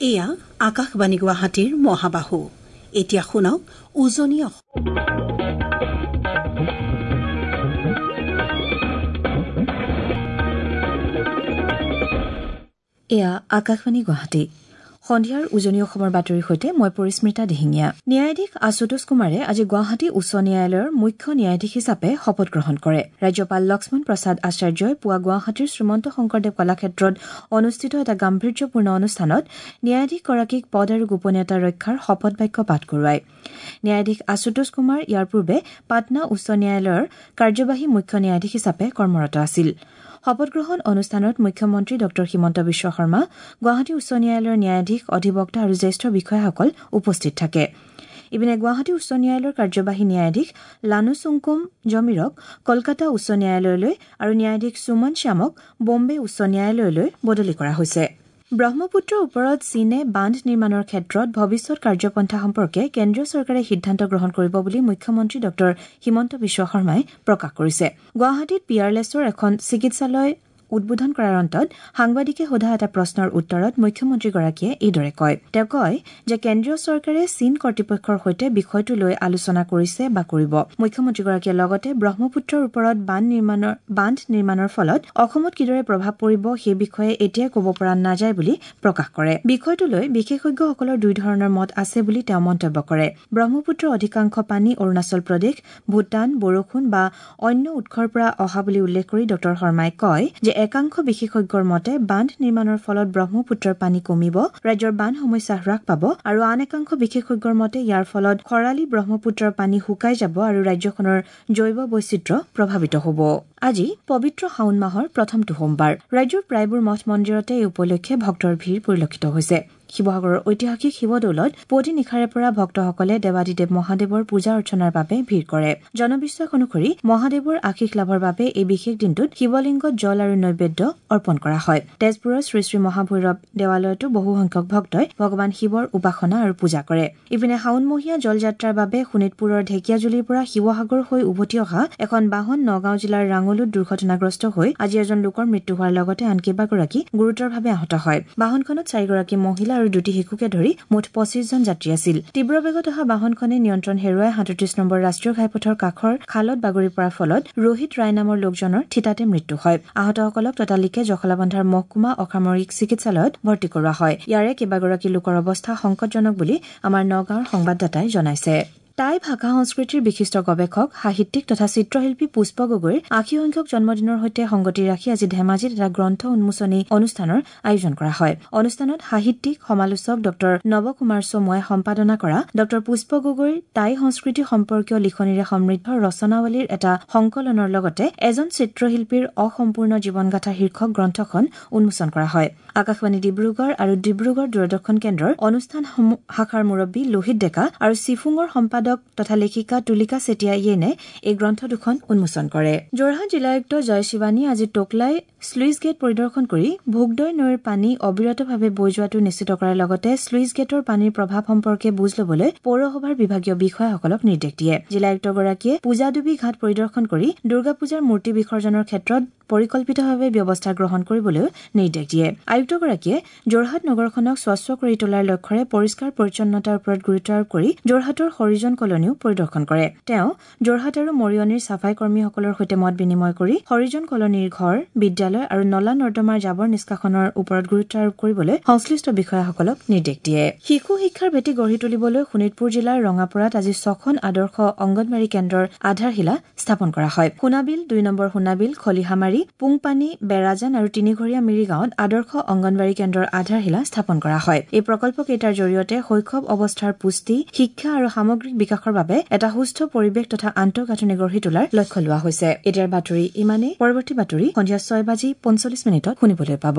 এয়া আকাশবাণী গুৱাহাটীৰ মহাবাহু। এতিয়া শুনক উজনি অসম। এয়া আকাশবাণী গুৱাহাটী। সন্ধিয়াৰ উজনি অসমৰ বাতৰিৰ সৈতে মই পৰিস্মিতা দিহিঙীয়া। ন্যায়াধীশ আশুতোষ কুমাৰে আজি গুৱাহাটী উচ্চ ন্যায়ালয়ৰ মুখ্য ন্যায়াধীশ হিচাপে শপত গ্ৰহণ কৰে। ৰাজ্যপাল লক্ষ্মণ প্ৰসাদ আচাৰ্যই পুৱা গুৱাহাটীৰ শ্ৰীমন্ত শংকৰদেৱ কলাক্ষেত্ৰত অনুষ্ঠিত এটা গাম্ভীৰ্যপূৰ্ণ অনুষ্ঠানত ন্যায়াধীশগৰাকীক পদ আৰু গোপনীয়তা ৰক্ষাৰ শপত বাক্য পাঠ কৰোৱায়। ন্যায়াধীশ আশুতোষ কুমাৰ ইয়াৰ পূৰ্বে পাটনা উচ্চ ন্যায়ালয়ৰ কাৰ্যবাহী মুখ্য ন্যায়াধীশ হিচাপে কৰ্মৰত আছিল। শপতগ্ৰহণ অনুষ্ঠানত মুখ্যমন্ত্ৰী ডঃ হিমন্ত বিশ্ব শৰ্মা, গুৱাহাটী উচ্চ ন্যায়ালয়ৰ ন্যায়াধীশ, অধিবক্তা আৰু জ্যেষ্ঠ বিষয়াসকল উপস্থিত থাকে। ইপিনে গুৱাহাটী উচ্চ ন্যায়ালয়ৰ কাৰ্যবাহী ন্যায়াধীশ লানুচুংকুম জমিৰক কলকাতা উচ্চ ন্যায়ালয়লৈ আৰু ন্যায়াধীশ সুমন শ্যামক বম্বে উচ্চ ন্যায়ালয়লৈ বদলি কৰা হৈছে। ব্ৰহ্মপুত্ৰৰ ওপৰত চীনে বান্ধ নিৰ্মাণৰ ক্ষেত্ৰত ভৱিষ্যত কাৰ্যপন্থা সম্পৰ্কে কেন্দ্ৰীয় চৰকাৰে সিদ্ধান্ত গ্ৰহণ কৰিব বুলি মুখ্যমন্ত্ৰী ডঃ হিমন্ত বিশ্ব শৰ্মাই প্ৰকাশ কৰিছে। গুৱাহাটীত পিয়াৰলেছৰ এখন চিকিৎসালয় উদ্বোধন কৰাৰ অন্তত সাংবাদিকে সোধা এটা প্ৰশ্নৰ উত্তৰত মুখ্যমন্ত্ৰীগৰাকীয়ে এইদৰে কয়। তেওঁ কয় যে কেন্দ্ৰীয় চৰকাৰে চীন কৰ্তৃপক্ষৰ সৈতে বিষয়টো লৈ আলোচনা কৰিছে বা কৰিব। মুখ্যমন্ত্ৰীগৰাকীয়ে লগতে ব্ৰহ্মপুত্ৰৰ ওপৰত বান্ধ নিৰ্মাণৰ ফলত অসমত কিদৰে প্ৰভাৱ পৰিব সেই বিষয়ে এতিয়াই ক'ব পৰা নাযায় বুলি প্ৰকাশ কৰে। বিষয়টো লৈ বিশেষজ্ঞসকলৰ দুই ধৰণৰ মত আছে বুলি তেওঁ মন্তব্য কৰে। ব্ৰহ্মপুত্ৰৰ অধিকাংশ পানী অৰুণাচল প্ৰদেশ, ভূটান, বৰষুণ বা অন্য উৎসৰ পৰা অহা বুলি উল্লেখ কৰি ডঃ শৰ্মাই কয় যে একাংশ বিশেষজ্ঞৰ মতে বান্ধ নিৰ্মাণৰ ফলত ব্ৰহ্মপুত্ৰৰ পানী কমিব, ৰাজ্যৰ বান সমস্যা হ্ৰাস পাব আৰু আন একাংশ বিশেষজ্ঞৰ মতে ইয়াৰ ফলত খৰালি ব্ৰহ্মপুত্ৰৰ পানী শুকাই যাব আৰু ৰাজ্যখনৰ জৈৱ বৈচিত্ৰ্য প্ৰভাৱিত হ'ব। আজি পবিত্ৰ শাওণ মাহৰ প্ৰথমটো সোমবাৰ। ৰাজ্যৰ প্ৰায়বোৰ মঠ মন্দিৰতে এই উপলক্ষে ভক্তৰ ভিৰ পৰিলক্ষিত হৈছে। শিৱসাগৰৰ ঐতিহাসিক শিৱদৌলত পুৱতি নিশাৰে পৰা ভক্তসকলে দেৱাদিদেৱ মহাদেৱৰ পূজা অৰ্চনাৰ বাবে ভিৰ কৰে। জনবিশ্বাস অনুসৰি মহাদেৱৰ আশীষ লাভৰ বাবে এই বিশেষ দিনটোত শিৱলিংগত জল আৰু নৈবেদ্য অৰ্পণ কৰা হয়। তেজপুৰৰ শ্ৰী শ্ৰী মহাভৈৰৱ দেৱালয়তো বহুসংখ্যক ভক্তই ভগৱান শিৱৰ উপাসনা আৰু পূজা কৰে। ইপিনে শাওণমহীয়া জলযাত্ৰাৰ বাবে শোণিতপুৰৰ ঢেকীয়াজুলিৰ পৰা শিৱসাগৰ হৈ উভতি অহা এখন বাহন নগাঁও জিলাৰ ৰাঙলুত দুৰ্ঘটনাগ্ৰস্ত হৈ আজি এজন লোকৰ মৃত্যু হোৱাৰ লগতে আন কেইবাগৰাকী গুৰুতৰভাৱে আহত হয়। বাহনখনত চাৰিগৰাকী মহিলা আৰু দুটি শিশুকে ধৰি মুঠ ২৫ জন যাত্ৰী আছিল। তীব্ৰ বেগত অহা বাহনখনে নিয়ন্ত্ৰণ হেৰুৱাই ৩৭ নম্বৰ ৰাষ্ট্ৰীয় ঘাইপথৰ কাষৰ খালত বাগৰি পৰাৰ ফলত ৰোহিত ৰায় নামৰ লোকজনৰ থিতাতে মৃত্যু হয়। আহতসকলক ততালিকে জখলাবন্ধাৰ মহকুমা অসামৰিক চিকিৎসালয়ত ভৰ্তি কৰোৱা হয়। ইয়াৰে কেইবাগৰাকী লোকৰ অৱস্থা সংকটজনক বুলি আমাৰ নগাঁৱৰ সংবাদদাতাই জনাইছে। টাই ভাষা সংস্কৃতিৰ বিশিষ্ট গৱেষক, সাহিত্যিক তথা চিত্ৰশিল্পী পুষ্প গগৈৰ ৮০ সংখ্যক জন্মদিনৰ সৈতে সংগতি ৰাখি আজি ধেমাজিত এটা গ্ৰন্থ উন্মোচনী অনুষ্ঠানৰ আয়োজন কৰা হয়। অনুষ্ঠানত সাহিত্যিক, সমালোচক ডঃ নৱ কুমাৰ চমুৱাই সম্পাদনা কৰা ডঃ পুষ্প গগৈৰ টাই সংস্কৃতি সম্পৰ্কীয় লিখনিৰে সমৃদ্ধ ৰচনাৱলীৰ এটা সংকলনৰ লগতে এজন চিত্ৰশিল্পীৰ অসম্পূৰ্ণ জীৱনগাথা শীৰ্ষক গ্ৰন্থখন উন্মোচন কৰা হয়। আকাশবাণী ডিব্ৰুগড় আৰু ডিব্ৰুগড় দূৰদৰ্শন কেন্দ্ৰৰ অনুষ্ঠান শাখাৰ মুৰব্বী লোহিত ডেকা আৰু চিফুঙৰ সম্পাদক তথা লেখিকা তুলিকা চেতিয়া য়েনে এই গ্ৰন্থ দুখন উন্মোচন কৰে। যোৰহাট জিলায়ুক্ত জয় শিৱানীয়ে আজি টোকলাই শ্লুইচ গেট পৰিদৰ্শন কৰি ভোগদৈ নৈৰ পানী অবিৰতভাৱে বৈ যোৱাটো নিশ্চিত কৰাৰ লগতে শ্লুইচ গেটৰ পানীৰ প্ৰভাৱ সম্পৰ্কে বুজ ল'বলৈ পৌৰসভাৰ বিভাগীয় বিষয়াসকলক নিৰ্দেশ দিয়ে। জিলায়ুক্তগৰাকীয়ে পূজাডুবি ঘাট পৰিদৰ্শন কৰি দুৰ্গা পূজাৰ মূৰ্তি বিসৰ্জনৰ ক্ষেত্ৰত পৰিকল্পিতভাৱে ব্যৱস্থা গ্ৰহণ কৰিবলৈও নিৰ্দেশ দিয়ে। আয়ুক্তগৰাকীয়ে যোৰহাট নগৰখনক স্বচ্ছ কৰি তোলাৰ লক্ষ্যৰে পৰিষ্কাৰ পৰিচ্ছন্নতাৰ ওপৰত গুৰুত্ব আৰোপ কৰি যোৰহাটৰ হৰিজন কলনীও পৰিদৰ্শন কৰে। তেওঁ যোৰহাট আৰু মৰিয়নিৰ চাফাই কৰ্মীসকলৰ সৈতে মত বিনিময় কৰি হৰিজন কলনীৰ ঘৰ, বিদ্যালয় আৰু নলা নৰ্দমাৰ জাবৰ নিষ্কাশনৰ ওপৰত গুৰুত্ব আৰোপ কৰিবলৈ সংশ্লিষ্ট বিষয়াসকলক নিৰ্দেশ দিয়ে। শিশু শিক্ষাৰ ভেটি গঢ়ি তুলিবলৈ শোণিতপুৰ জিলাৰ ৰঙাপৰাত আজি ৬খন আদৰ্শ অংগনবাড়ী কেন্দ্ৰৰ আধাৰশিলা স্থাপন কৰা হয়। সোণাবিল, ২ নম্বৰ সোণাবিল, খলিহামাৰী, পুংপানী, বেৰাজান আৰু তিনিঘৰীয়া মিৰিগাঁৱত আদৰ্শ অংগনবাড়ী কেন্দ্ৰৰ আধাৰশিলা স্থাপন কৰা হয়। এই প্ৰকল্পকেইটাৰ জৰিয়তে শৈশৱ অৱস্থাৰ পুষ্টি, শিক্ষা আৰু সামগ্ৰিক বিকাশৰ বাবে এটা সুস্থ পৰিৱেশ তথা আন্তঃগাঁথনি গঢ়ি তোলাৰ লক্ষ্য লোৱা হৈছে। এতিয়াৰ বাতৰি ইমানেই। পৰৱৰ্তী বাতৰি সন্ধিয়া ৬:৪৫ শুনিবলৈ পাব।